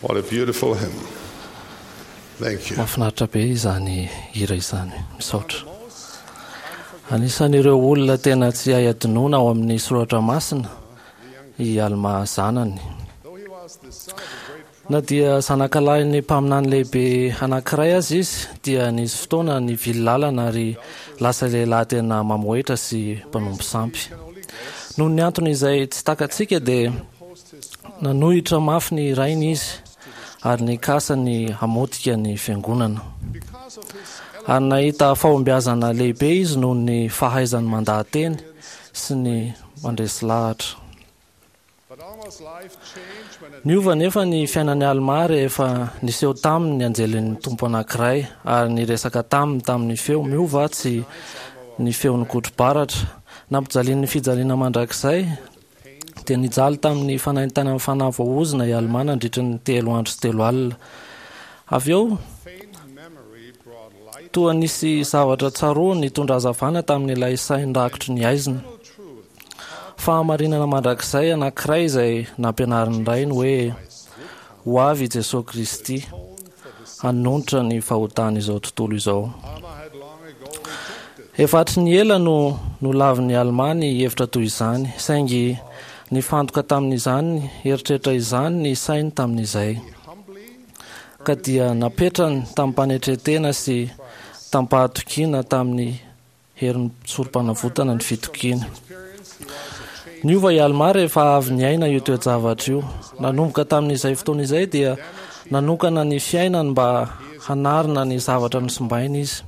What a beautiful hymn. Thank you. Mahafinaritra be izany hira izany. Misaotra. Anisan'ireo olona tena tsy hay adinoina ao amin'ny soratra masina i Almà zanany. Na dia zanakalahin'ny mpaminany lehibe anankiray aza izy, dia nisy fotoana nivily lalana ary lasa lehilahy tena mamohehitra sy mpanompo sampy. Noho ny antony izay tsy takatsika dia nanohitra mafy ny rainy izy ary nikasa ny hamotika ny fiangonana. Ary nahita fahombiazana lehibe izy noho ny fahaizany mandaha-teny sy ny mandresy lahatra. Niova anefa ny fiainan'i Almà rehefa niseho taminy ny anjelin'ny Tompo anankiray ary niresaka taminy tamin'ny feo miova tsy ny feon'ny kotro-baratra. Nampijalian'ny fijaliana mandrakizay, dia nijaly tamin'ny fanaintainan'ny fanahy voaozona i Almà nandritry ny telo andro sy telo alina. Avy eo, toa nisy zavatra tsaroany nitondra hazavana tamin'ilay sainy rakotry ny haizina. Fahamarinana mandrakizay anankiray izay nampianarin'ny Rainy hoe ho avy i Jesoa Kristy hanonitra ny fahotan'izao tontolo izao. Efa hatry ny ela no nolavin'i Almà ny hevitra toy izany, saingy nifantoka tamin'izany eritreritra izany ny sainy tamin'izay. Ka dia napetrany tamim-panetren-tena sy tamim-pahatokiana tamin'ny herin'ny sorom-panavotana ny fitokiana. Niova i Almà rehefa avy niaina io toe-javatra io. Nanomboka tamin'izay fotoana izay dia nanokana ny fiainany mba hanarina ny zavatra nosimbainy izy.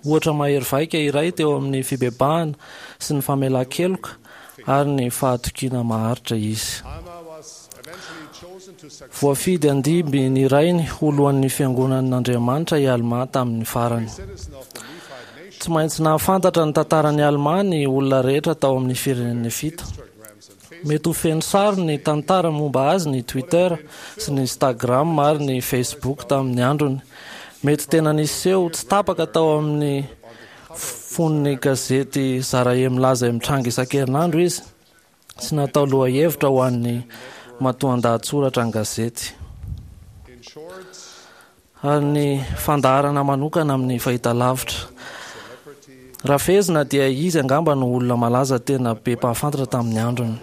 Ohatra mahery vaika iray teo amin'ny fibebahana sy ny famelan-keloka ary ny fahatokiana maharitra izy. Voafidy handimby ny rainy ho lohan'ny Fiangonan'Andriamanitra i Almà tamin'ny farany. Tsy maintsy nahafantatra ny tantaran'i Almà ny olona rehetra tao amin'ny firenen'i Nefita. Mety ho feno sary ny tantara momba azy ny Twitter sy ny Instagram ary ny Facebook tamin'ny androny. Mety tena niseho tsy tapaka tao amin'ny fonon'ny gazety Zarahemlaza mitranga isan-kerinandro izy sy natao lohahevitra ho an'ny matoandahatsoratra an-gazety ary ny fandaharana manokana amin'ny fahitalavitra. Raha fehezina dia izy angamba no olona malaza tena be mpahafantatra tamin'ny androny.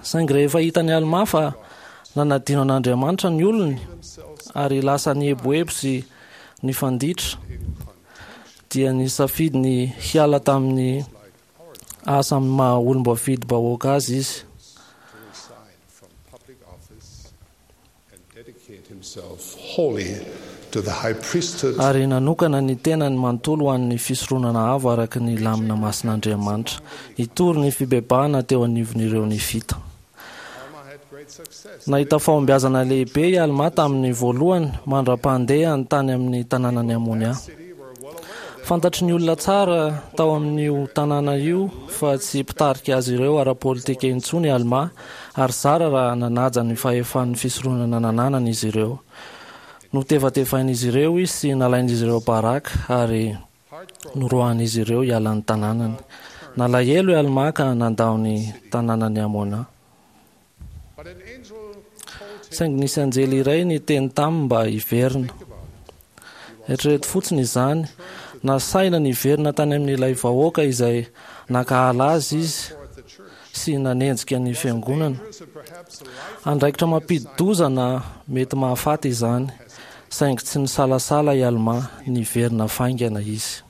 Saingy rehefa hitan'i Almà fa nanadino an'Andriamanitra ny olony ary lasa nieboebo sy nifanditra dia nisafidy ny hiala tamin'ny asa amin'ny maha olom-boafidim-bahoaka azy izy. Ary nanokana ny tenany manontolo ho an'ny fisoronana avo araka ny lamina masin'Andriamanitra, hitory ny fibebahana teo anivon'ireo Nefita. Nahita fahombiazana lehibe i Almà tamin'ny voalohany mandra-pandehany tany amin'ny tanànan'i Amônia. Fantatry ny olona tsara tao amin'io tanàna io fa tsy mpitarika azy ireo ara-politika intsony i Almà ary zara raha nanaja ny fahefan'ny fisoronana nananany izy ireo. Notevatevain'izy ireo izy sy nalain'izy ireo baraka ary noroahan'izy ireo hiala ny tanànany. Nalahelo i Almà ka nandao ny tanànan'i Amôna. Saingy nisy anjely iray niteny taminy mba hiverina. Eritrereto fotsiny izany, nasaina niverina tany amin'ilay vahoaka izay nankahala azy izy sy nanenjika ny fiangonana. Andraikitra mampidi-doza na mety mahafaty izany, saingy tsy nisalasala i Almà, niverina faingana izy.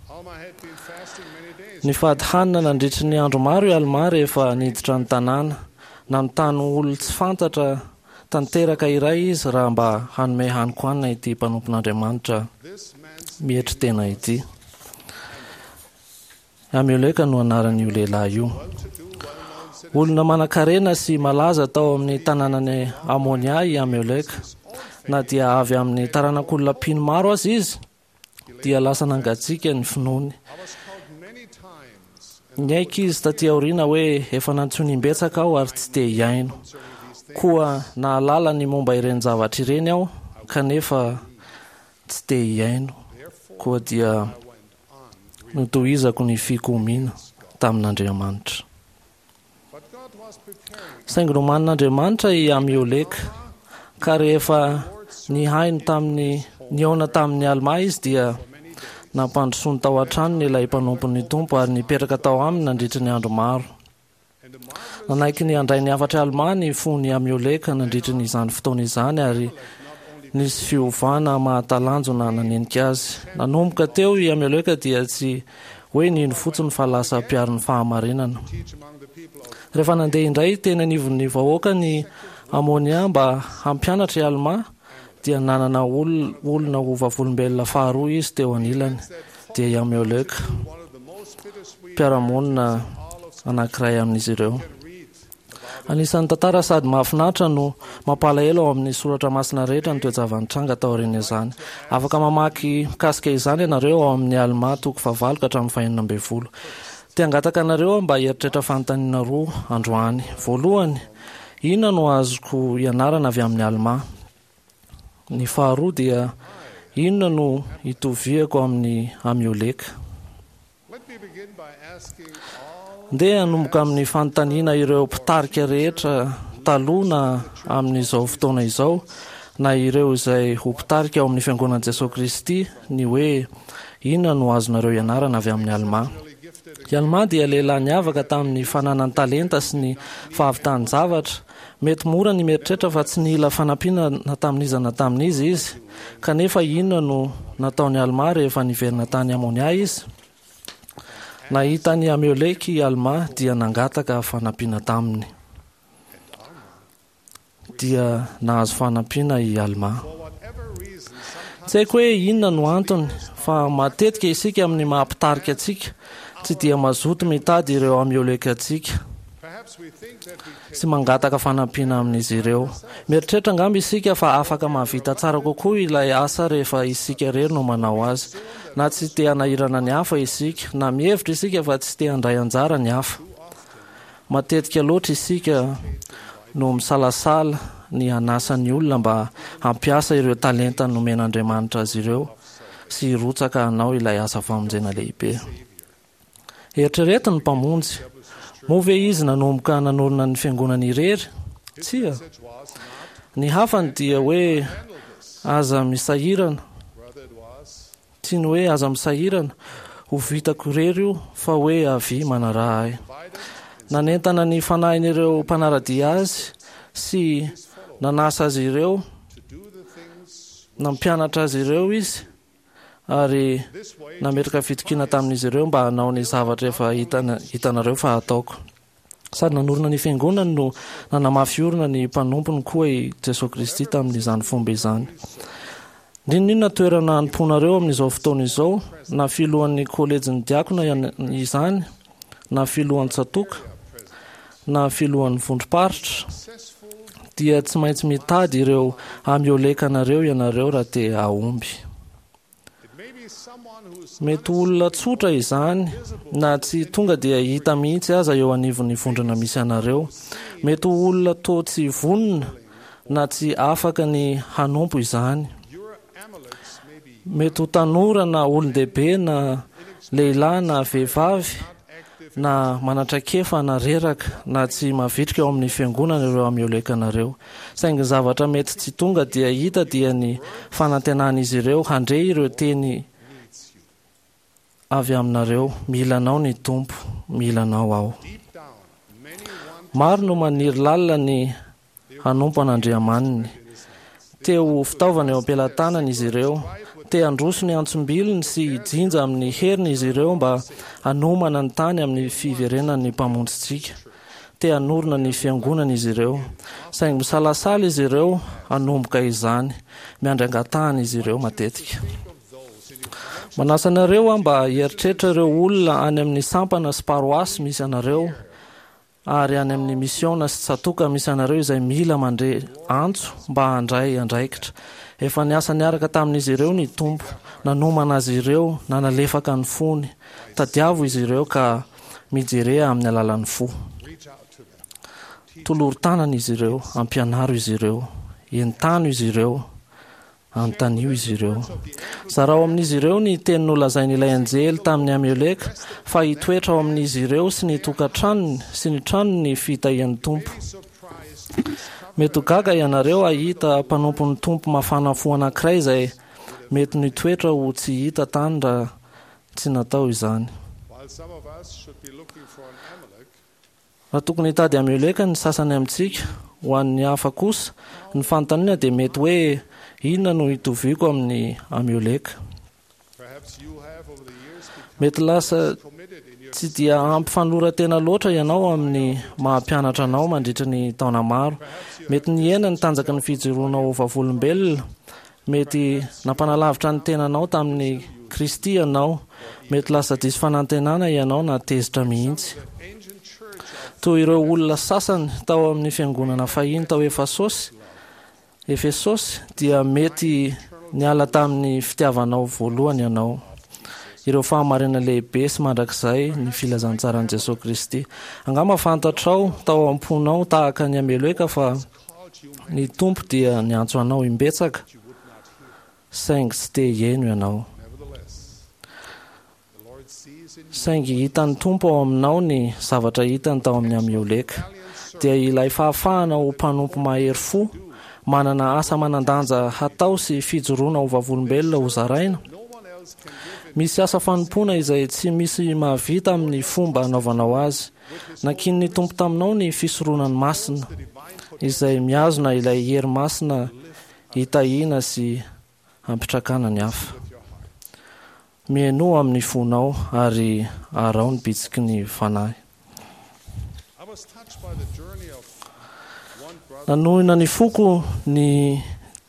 Nifady hanina nandritry ny andro maro i Almà rehefa niditra ny tanàna. Nanontany olon-tsy fantatra tanteraka iray izy raha mba hanome hanin-kohanina ity mpanompon'Andriamanitra mietry tena ity. Amioleka no anaran'io lehilahy io. Olona manankarena sy malaza tao amin'ny tanànan'i Amônia i Amioleka. Na dia avy amin'ny taranak'olona mpino maro aza izy, dia lasa nangatsiaka ny finoany. Niaiky izy taty aoriana hoe efa nantsoiny imbetsaka aho ary tsy te hihaino. Koa nahalala ny momba ireny zavatra ireny aho kanefa tsy te hihaino. Koa dia notohizako ny fikomiana tamin'Andriamanitra. Saingy nomanin'Andriamanitra i Amioleka. Ka rehefa nihaino tamin'ny nihaona tamin'i Almà izy dia nampandrosoany tao an-tranony ilay mpanompon'ny Tompo ary nipetraka tao aminy nandritry ny andro maro. Nanaiky ny handray ny hafatr'i Almà ny fon'i Amioleka nandritry ny izany fotoana izany ary nisy fiovana mahatalanjona nanenika azy. Nanomboka teo i Amioleka dia tsy hoe nino fotsiny fa lasa mpiaro ny fahamarinana. Rehefa nandeha indray teny anivon'ny vahoaka ny Amônia mba hampianatra i Almà dia nanana olona ho vavolombelona faharoa izy teo anilany, dia i Amioleka, mpiara-monina anankiray amin'izy ireo. Anisan'ny tantara sady mahafinaritra no mampalahelo ao amin'ny soratra masina rehetra ny toe-java-nitranga taorian'izany. Afaka mamaky mikasika izany ianareo ao amin'ny Almà toko fahavalo ka hatramin'ny fahenina ambin'ny folo. Te hangataka anareo aho mba hieritreritra fanontaniana roa androany. Voalohany, inona no azoko ianarana avy amin'i Almà? Ny faharoa dia, inona no itoviako amin'i Amioleka? Ndeha hanomboka amin'ny fanontaniana ireo mpitarika rehetra taloha na amin'izao fotoana izao na ireo izay ho mpitarika ao amin'ny Fiangonan'i Jesoa Kristy ny hoe inona no azonareo ianarana avy amin'i Almà. I Almà dia lehilahy niavaka tamin'ny fananany talenta sy ny fahavitany zavatra. Mety mora ny mieritreritra fa tsy nila fanampiana na tamin'iza na tamin'iza izy. Kanefa inona no nataon'i Almà rehefa niverina tany Amônia izy? Nahita an'i Amioleka i Almà dia nangataka fanampiana taminy. Dia nahazo fanampiana i Almà. Tsy haiko hoe inona no antony, fa matetika isika amin'ny maha-mpitarika antsika tsy dia mazoto mitady ireo Amioleka antsika sy mangataka fanampiana amin'izy ireo. Mieritreritra angamba isika fa afaka mahavita tsara kokoa ilay asa rehefa isika irery no manao azy. Na tsy te hanahirana ny hafa isika, na mihevitra isika fa tsy te handray anjara ny hafa. Matetika loatra isika no misalasala ny hanasa ny olona mba hampiasa ireo talenta nomen'Andriamanitra azy ireo sy hirotsaka hanao ilay asa famonjena lehibe. Eritrereto ny Mpamonjy. Moa ve Izy nanomboka nanorina ny Fiangonany irery? Tsia. Ny hafany dia hoe aza misahirana. Tsy ny hoe aza misahirana, ho vitako irery io, fa hoe avia manaraha ahy. Nanentana ny fanahin'ireo mpanara-dia azy sy nanasa azy ireo, nampianatra azy ireo izy ary nametraka fitokiana tamin'izy ireo mba hanao ny zavatra efa hitanareo fa hataoko. Sady nanorina ny Fiangonany no nanamafy orina ny mpanompony koa i Jesoa Kristy tamin'izany fomba izany. N'inon'inona toerana anompoanareo amin'izao fotoana izao, na filohan'ny kôlejin'ny diakona izany, na filohan'ny tsatòka, na filohan'ny vondrom-paritra, dia tsy maintsy mitady ireo amioleka anareo ianareo raha te hahomby. Mety ho olona tsotra izany, na tsy tonga dia hita mihitsy aza eo anivon'ny vondrona misy anareo. Mety ho olona toa tsy vonona na tsy afaka ny hanompo izany. Mety ho tanora na olon-dehibe na lehilahy na vehivavy na manan-traikefa na reraka na tsy mavitrika ao amin'ny fiangonana ireo amioleka-nareo. Saingy ny zavatra mety tsy tonga dia hita dia ny fanantenan'izy ireo handre ireo teny avy aminareo, Mila anao ny Tompo, mila anao aho. Maro no maniry lalina ny hanompo an'Andriamaniny. Te ho fitaovana eo am-pelatanany izy ireo. Te handroso ny antsom-bilony sy hijinja amin'ny heriny izy ireo mba hanomana ny tany amin'ny fiverenan'ny Mpamonjintsika. Te hanorina ny Fiangonana izy ireo. Saingy misalasala izy ireo hanomboka izany. Miandry angatahana izy ireo matetika. Manasa anareo aho mba hieritreritra ireo olona any amin'ny sampana sy paroasy misy anareo ary any amin'ny misiona sy tsatòka misy anareo izay mila mandre antso mba handray andraikitra. Efa niasa niaraka tamin'izy ireo ny Tompo, nanomana azy ireo, nanalefaka ny fony. Tadiavo izy ireo ka mijerea amin'ny alalan'ny fo. Tolory tanana izy ireo, ampianaro izy ireo, entano izy ireo, Anontanio izy ireo. Zarao amin'izy ireo ny teny nolazain'ilay anjely tamin'i Amioleka fa hitoetra ao amin'izy ireo sy ny tokantranony sy ny tranony ny fitahian'ny Tompo. Mety ho gaga ianareo hahita mpanompon'ny Tompo mafana fo anankiray izay mety nitoetra ho tsy hita tany raha tsy natao izany. Raha tokony hitady Amioleka ny sasany amintsika, ho an'ny hafa kosa, ny fanontaniana dia mety hoe, Inona no itoviako amin'i Amioleka? Mety lasa tsy dia ampy fanoloran-tena loatra ianao amin'ny maha-mpianatra anao mandritra ny taona maro. Mety nihena ny tanjaky ny fijoroanao ho vavolombelona. Mety nampanalavitra ny tenanao tamin'i Kristy ianao. Mety lasa diso fanantenana ianao na tezitra mihitsy. Toy ireo olona sasany tao amin'ny fiangonana fahiny tao Efasosy, Efesosy, dia mety niala tamin'ny fitiavanao voalohany ianao. Ireo fahamarinana lehibe sy mandrakizay ny filazantsaran'i Jesoa Kristy. Angamba fantatrao tao am-ponao tahaka an'i Ameleka fa ny Tompo dia niantso anao imbetsaka, saingy tsy te hihaino ianao. Saingy hitan'ny Tompo ao aminao ny zavatra hitany tao amin'ny Amioleka, dia ilay fahafahana ho mpanompo mahery fo, manana asa manan-danja hatao sy fijoroana ho vavolombelona hozaraina. Misy asa fanompoana izay tsy misy mahavita amin'ny fomba anaovanao azy. Nankinin'ny Tompo taminao ny fisoronany masina, izay mihazona ilay hery masina hitahiana sy hampitrakana ny hafa. Mihainoa amin'ny fonao ary araho ny bitsiky ny Fanahy. Nanohina ny foko ny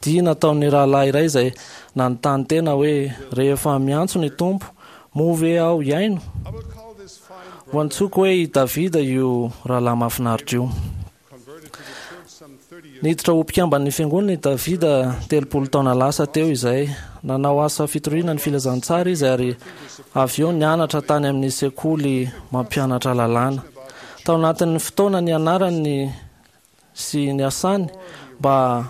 dia nataon'ny rahalahy iray izay nanontany tena hoe, Rehefa miantso ny Tompo, moa ve aho hihaino? Ho antsoiko hoe i Davida io rahalahy mahafinaritra io. Niditra ho mpikamban'ny fiangonana i Davida 30 taona lasa teo izay. Nanao asa fitoriana ny filazantsara izy ary avy eo nianatra tany amin'ny sekoly mampianatra lalàna. Tao anatin'ny fotoana nianarany sy niasany mba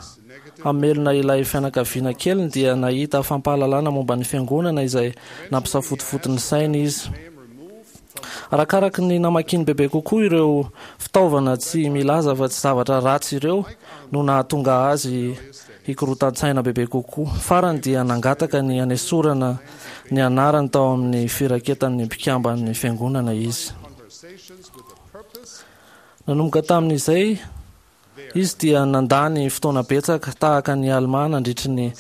hamelona ilay fianakaviana keliny dia nahita fampahalalana momba ny fiangonana izay nampisafotofoto ny sainy izy. Arakaraky ny namakiany bebe kokoa ireo fitaovana tsy milaza fa tsy zavatra ratsy ireo no nahatonga azy hikorotan-tsaina bebe kokoa. Farany dia nangataka ny hanesorana ny anarany tao amin'ny firaketan'ny mpikamban'ny fiangonana izy. Nanomboka tamin'izay izy dia nandany fotoana betsaka tahaka ny Almà nandritry ny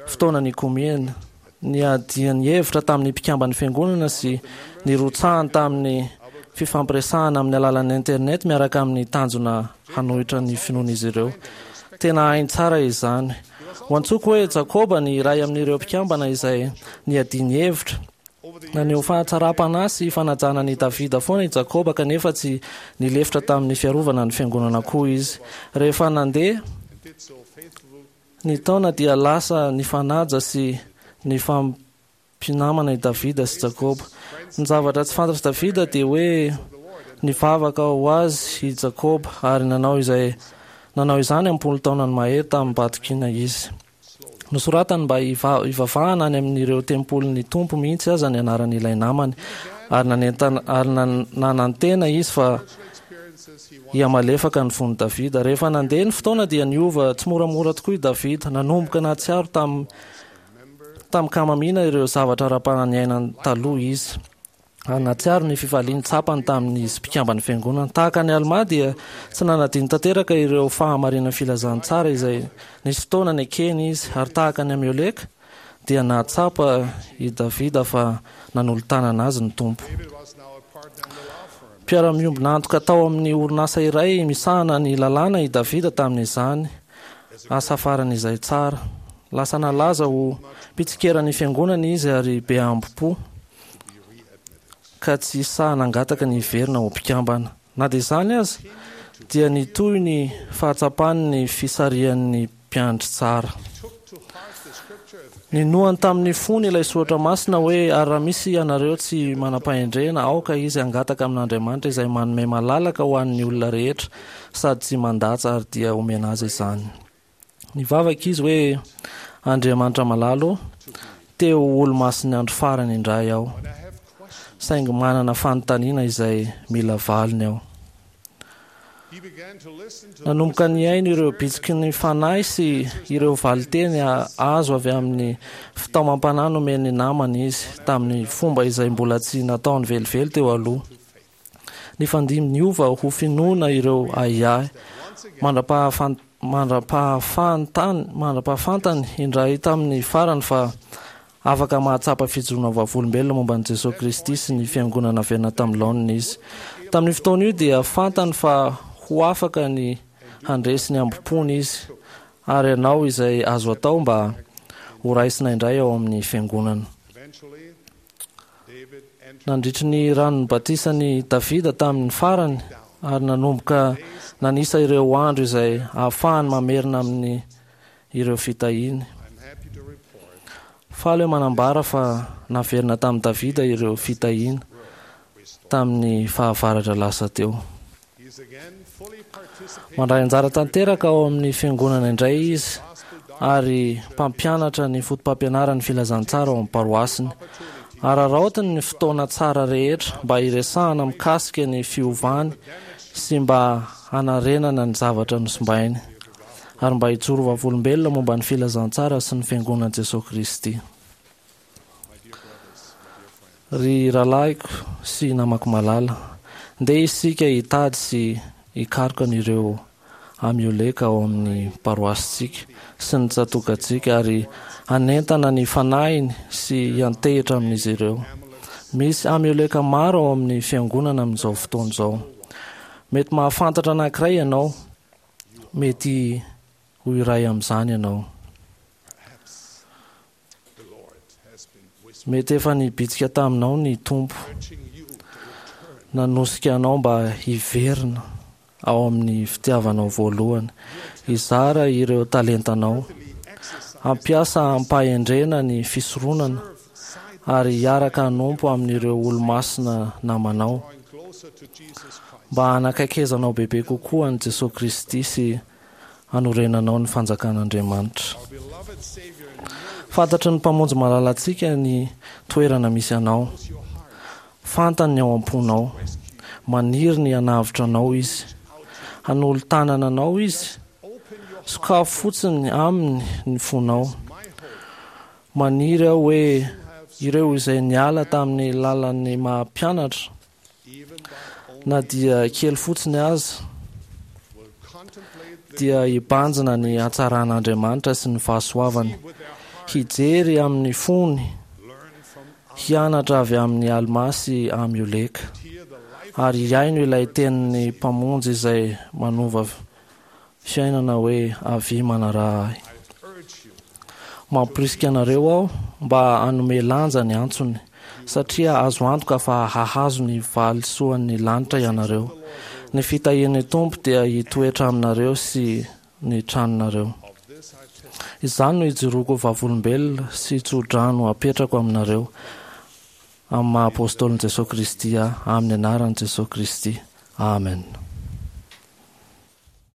fotoana nikomiany, niadiany hevitra tamin'ny mpikamban'ny fiangonana sy nirotsahany tamin'ny fifampiresahana amin'ny alalan'ny internet miaraka amin'ny tanjona hanohitra ny finoan'izy ireo. Tena hainy tsara izany. Ho antsoiko hoe Jakoba ny iray amin'ireo mpikambana izay niadiany hevitra. Naneho fahatsaram-panahy sy fanajana an'i Davida foana i Jakoba, kanefa tsy nilefitra tamin'ny fiarovana ny fiangonana koa izy. Rehefa nandeha ny taona dia lasa nifanaja sy nifampinamana i Davida sy Jakoba. Ny zavatra tsy fantatr'i Davida dia hoe nivavaka ho azy i Jakoba ary nanao izay nanao izany am-polo taonany mahery tamim-pahatokiana izy. Nosoratany mba hivavahana any amin'ireo tempolin'ny Tompo mihitsy aza ny anaran'ilay namany, ary nanentana ary nanantena izy fa hihamalefaka ny fon'i Davida. Rehefa nandeha ny fotoana dia niova tsimoramora tokoa i Davida. Nanomboka nahatsiaro tam tamin-kamamiana ireo zavatra ara-panahy niainany taloha izy. Ary nahatsiaro ny fifaliany tsapany tamin'izy mpikamban'ny Fiangonana. Tahaka an'i Almà dia tsy nanadino tanteraka ireo fahamarinan'ny filazantsara izay nisy fotoana nekeny izy, ary tahaka an'i Amioleka dia nahatsapa i Davida fa nanolo-tanana azy ny Tompo. Mpiara-miombon'antoka tao amin'ny orinasa iray misahana ny lalàna i Davida tamin'izany asa farany izay tsara. Lasa nalaza ho mpitsikera ny Fiangonana izy ary be hambom-po. ka tsy sahy nangataka ny hiverina ho mpikambana. Na dia izany aza, dia nitohy ny fahatsapany ny fisarihan'ny mpiandry tsara. Ninoany tamin'ny fony ilay soratra masina hoe, Ary raha misy ianareo tsy manam-pahendrena, aoka izy hangataka amin'Andriamanitra izay manome malalaka ho an'ny olona rehetra sady tsy mandatsa, ary dia homena azy izany. Nivavaka izy hoe, Andriamanitra malala ô, te ho olo-masin'ny andro farany indray aho, saingy manana fanontaniana izay mila valiny aho. Nanomboka nihaino ireo bitsiky ny Fanahy sy ireo valinteny azo avy amin'ny fitaomam-panahy nomen'ny namany izy, tamin'ny fomba izay mbola tsy nataony velively teo aloha. Nifandimby niova ho finoana ireo ahiahy, mandra-pahafantany indray tamin'ny farany fa Afaka mahatsapa fijoroana vavolombelona momba an'i Jesoa Kristy sy ny Fiangonana naverina tamin'ny laoniny izy. Tamin'io fotoana io dia fantany fa ho afaka ny handresy ny hambom-pony izy ary hanao izay azo atao mba ho raisina indray ao amin'ny Fiangonana. Nandritry ny ranon'ny batisan'i Davida tamin'ny farany ary nanomboka nanisa ireo andro izay ahafahany mamerina amin'ny ireo fitahiany. Faly aho manambara fa naverina tamin'i Davida ireo fitahiana tamin'ny fahavaratra lasa teo. Mandray anjara tanteraka ao amin'ny fiangonana indray izy ary mpampianatra ny fotopampianaran'ny filazantsara ao amin'ny paroasiny. Araraotiny ny fotoana tsara rehetra mba hiresahana mikasika ny fiovany sy mba hanarenana ny zavatra nosimbainy. ary mba hijoro vavolombelona momba ny filazantsara sy ny Fiangonan'i Jesoa Kristy. Ry rahalahiko sy namako malala, ndeha isika hitady sy hikaroka an'ireo Amioleka ao amin'ny paroasintsika sy ny tsatòkantsika ary hanentana ny fanahiny sy hiantehitra amin'izy ireo. Misy Amioleka maro ao amin'ny Fiangonana amin'izao fotoana izao. Mety mahafantatra anankiray ianao Mety ho iray amin'izany ianao. Mety efa nibitsika taminao ny Tompo, nanosika anao mba hiverina ao amin'ny fitiavanao voalohany, hizara ireo talentanao, hampiasa amim-pahendrena ny fisoronana, ary hiaraka hanompo amin'ireo olomasina namanao, mba hanakaikezanao bebe kokoa an'i Jesoa Kristy sy hanorenanao ny fanjakan'Andriamanitra. Fantatry ny Mpamonjy malalantsika ny toerana misy anao. Fantany ny ao am-ponao. Maniry ny hanavotra anao Izy. Hanolo-tanana anao Izy. Sokafo fotsiny Aminy ny fonao. Maniry aho hoe ireo izay niala tamin'ny lalan'ny maha mpianatra, na dia kely fotsiny aza, dia hibanjina ny hatsaran'Andriamanitra sy ny fahasoavany, hijery amin'ny fony, hianatra avy amin'i Almà sy Amioleka, ary hihaino ilay tenin'ny Mpamonjy izay manova fiainana hoe avia manaraha ahy. Mamporisika anareo aho mba hanome lanja ny antsony, satria azo antoka fa hahazo ny valisoan'ny lanitra ianareo. Ny fitahian'ny Tompo dia hitoetra aminareo sy ny tranonareo. Izany no ijoroako ho vavolombelona sy tso-drano apetrako aminareo, amin'ny maha Apôstôlin'i Jesoa Kristy ahy, amin'ny anaran'i Jesoa Kristy. Amen.